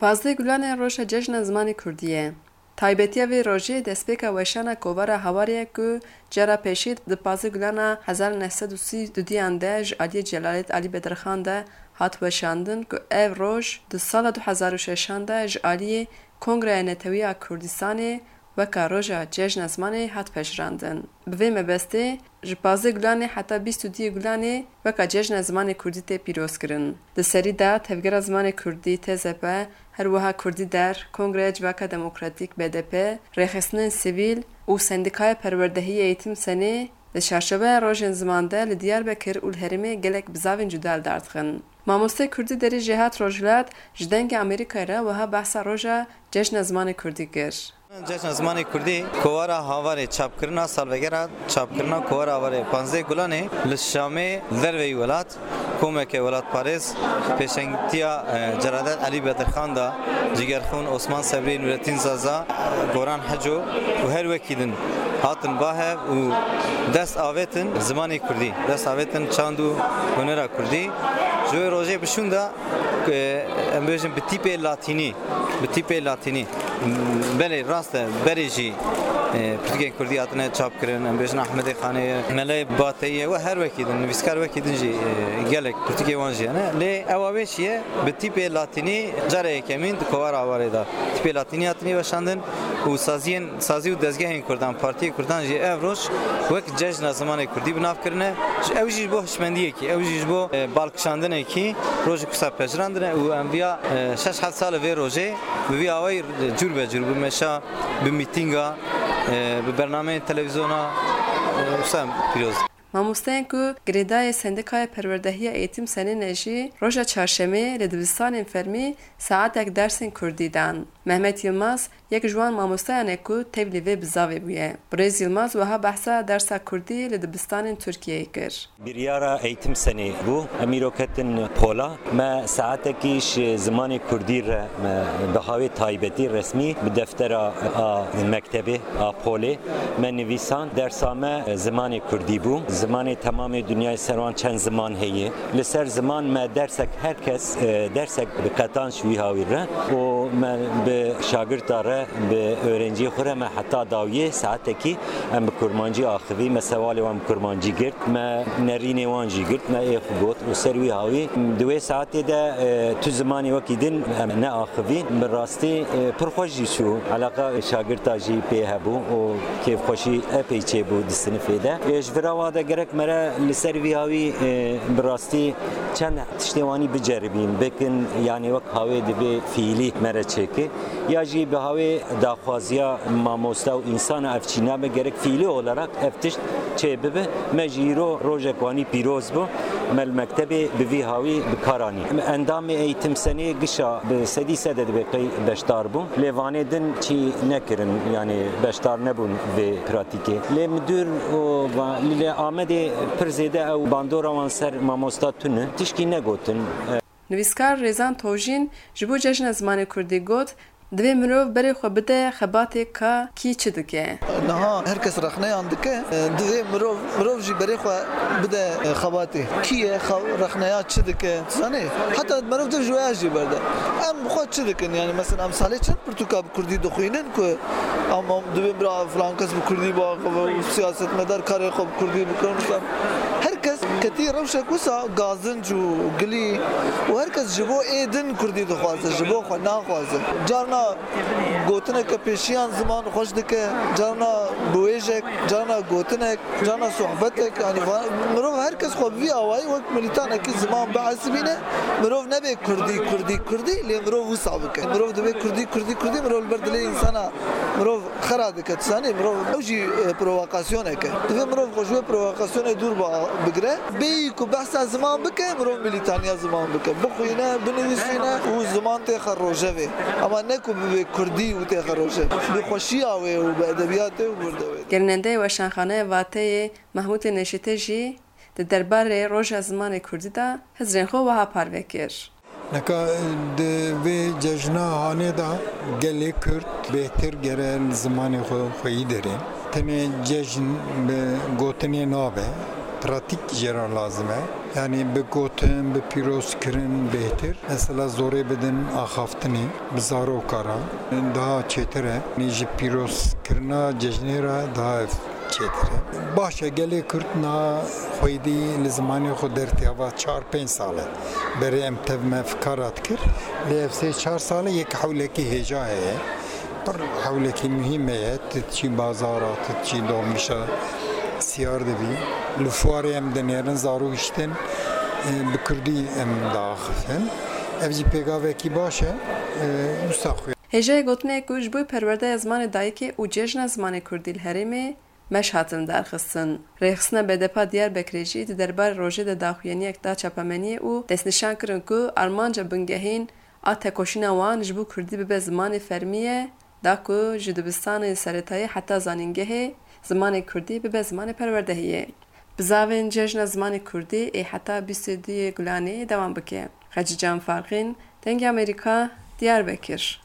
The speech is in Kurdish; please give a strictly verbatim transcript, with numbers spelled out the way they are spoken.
Pazdeh Gulanê roja Cejna Zimanê Kurdî ye. Taybetiya vê rojê destpêka weşana kovara Hawarê ye ku cara pêşî di pazdeh Gulana hezar neh sed û sî û duyan de ji aliyê Celalet Alî Bedirxan de hat weşandin ku ev roj di sala du hezar û şeşan de ji aliyê Kongreya Netewî ya Kurdistanê weka roja Cejna Zimanê hat pejirandin. Bi vê mebestê ji pazdeh Gulanê heta bîst û duyê Gulanê weka Cejna Zimanê Kurdî tê pîrozkirin. Di serî de Tevgera Zimanê Kurdî, T Z P, her wiha Kurdî Der, Kongreya Civaka Demokratîk, B D P, rêxistinên sivîl û Sendîkaya Perwerdehî Eğitim Senê di çarçoveya rojên ziman de li Diyarbekir û li herêmê gelek bizavên cuda li dar dixin. Mamosteyê Kurdî Derî Jêhat Rojhilat ji Dengê Amerîkayê re wiha behsa roja Cejna Zimanê Kurdî kir. Cejna Zimanê Kurdî kovara Hawarê, çapkirina salvegera çapkirina kovara Hawarê, panzdeh Gulanê li Şamê, derveyî welat, komeke welatparêz pêşengtiya, e, Celadet Elî Bedirxan da, Cigerxûn Osman Sebrî, Nurettin Zaza, Goran Heco û her wekî din hatin bahev û dest avêtin zimanê kurdî, dest avêtin çand û hunera kurdî. Ji wê rojê bi şûnda, e, em bêjin bi tîpê latînî, bi tîpê latînî. Belê, rast e, berê jî, e, pirtûkên kurdî hatine çapkirin, em bêjin Ahmedê Xanê ye, Melê Bateyî ye û her wekî din, nivîskar wekî din jî, e, gelek pirtûkê wan jî hene. Lê ewa wê çi ye? Bi tîpê latînî cara yekemîn di kovara Awarê de tîpê latînî hatine weşandin û saziyên, sazî û dezgehên kurdan, partiyê kurdan jî ev roj wek Cejna Zimanê Kurdî bi nav kirine. Ew jî ji bo hişmendiyekî, ew jî ji bo, e, balkişandinekî rojek wisa pejirandine û em viya, e, şeş heft sal e vê rojê bi vî awayî cûr be cûr, bi meşa, bi mîtînga, e, bi bernameyên televîzyona, e, wisa pîroz. Mamosteyên ku girêdayê Sendîkaya Perwerdehiya Eğitim Senê ne jî roja çarşemê li dibistanên fermî saetek dersên kurdî dan. Mehmet Yilmaz yek ji wan mamosteyan e ku tevlî vê bizavê bûye. Birêz Yilmaz wiha behsa dersa kurdî li dibistanên Tirkiyeyê kir. Biryara Eğitim Senê bû. Em îro ketin pola. Me saetekî ji zimanê kurdî re, me bi hawê taybetî resmî bi deftera a mektebê, a polê me nivîsan. Dersa me zimanê kurdî bû. Zimanê temamê dinyayê ser wan çend ziman heye. Li ser ziman me dersek, her kes, e, dersek bi qetanc wî hawî re û me bi şagirta re, bi öğrenciyê xwe re me heta dawiyê saetekî em bi kurmancî axivî, me sewalê wan bi kurmancî girt, me nerînê wan jî girt, me ê xwe got û ser wî hawî di wê saetê de, e, tu zimanê wekî din em neaxivî. Bi rastî, e, pir xweş jî çû, eleqa şagirta jî pê hebû û kêfxweşî epey çêbû di sinifê de. E, ji vira wa de gerek me re li ser vî hawî, e, bi rastî çend tiştê wanî biceribîn, bikin, yanî wek hawê divê fiîlî me re çêke. Ya jî bi hawê daxwaziya mamosta û însana ev çî nabe, gerek fiîlî olarak ev tişt çê bibe. Me jî îro rojek wanî pîroz bû. Me li mektebê bi vî hawî bi kar anî. Endamê Eğitim Senê gişa bi sedî sed e dibe qey beşdar bûn. Lê vanê din çî nekirin, yanî beşdar nebûn vê pratîkê. Lê midûr û va-, lê Amedê pir zêde ew bandora wan ser mamosta tune. Tişkî negotin. Nivîskar Rêzan Tojîn ji bo Cejna Zimanê Kurdî got, divê mirov berê xwe bide xebatê ka kî çi dike. Niha her kes rexneyan dike, divê mirov, mirov jî berê xwe bide xebatê. Kî ye, xew-, rexneya çi dike, zanê? Heta meriv div ji wê ya jî berde. Em bi xwe çi dikin? Yani mesela em salê çend pirtûka bi kurdî dixwînin ku em, em divê bira filan kes bi kurdî biaxive û siyasetmedar karê xwe bi kurdî bikin. Her kes ketî rewşek wisa gazinc û gilî û her kes ji bo ê din kurdî dixwaze, ji bo xwe naxwaze. Carna gotineke pêşiyan ziman xweş dike, carna biwêjek, carna gotinek, carna sohbetek, yanî va-, mirov her kes xwe bi vî awayî wek milîtanekî ziman bihesibîne, mirov nebe kurdî, kurdî, kurdî, lê mirov wisa bike. Mirov dibe kurdî, kurdî, kurdî, mirov li ber dilê însana, mirov xera dike, tu zanî, mirov ew jî, e, provokasyonek e. Divê mirov xwe ji wê provokasyonê dûr ba-, bigire. Bêyî ku behsa ziman bike, mirov milîtaniya ziman bike. Bixwîne, binivîsîne û ziman têxe rojevê. Ama ne ku bibe kurdî û têxe rojevê. Bi xweşiya wê û bi edebiyatê û bi wirdewê. Gerînendeyê Weşanxaneya Vateyê Mehmûdê Neşîtê jî di derbarê Roja Zimanê Kurdî de hizrên xwe wiha parve kir. Neka di vê cejna hanê de gelê Kurd bêhtir gere li zimanê xwe xweyî derê. Tenê cejn bi gotinê nabe, pratîk jê re lazim e. Yanî bi gotin, bi pîrozkirin bêhtir. Mesela zorê bidin axaftinê, bi zaroka re daha çêtir e. Yanî ji pîrozkirina cejnê re daha çêtir e. Baş e, gelê Kurd niha xwedî li zimanê xwe dertî hava çar pênc sal e. Berê em tev me fikara dikir. Lê ev sê çar sal e yek hewlekî hêja heye. Pir hewlekî muhîm heye. Tu diçî bazara, tu diçî dolmişa siyar dibî. Li fuarê em dinêrin, zarok jî tên, e, bi kurdî em diaxifin. Ev jî pêgavekî baş e. E, wisa xwe. Hêjayê gotinê ku ji bo perwerdeya zimanê dayikê û cejna zimanê kurdî li herêmê meş hatin darxistin. Rêxistina B D P a Diyarbekirê jî di derbarê rojê de daxuyaniyek da çapemeniyê û destnîşan kirin ku armanca bingehîn a tekoşîna wan ji bo kurdî bibe zimanê fermî ye, da ku ji dibistanê seretayî heta zanîngehê zimanê kurdî bibe zimanê perwerdehiyê. Bizavên Cejna Zimanê Kurdî ê heta bîst û duyê Gulanê dewam bike. Xecîcan Farqîn, Dengê Amerîka, Diyarbekir.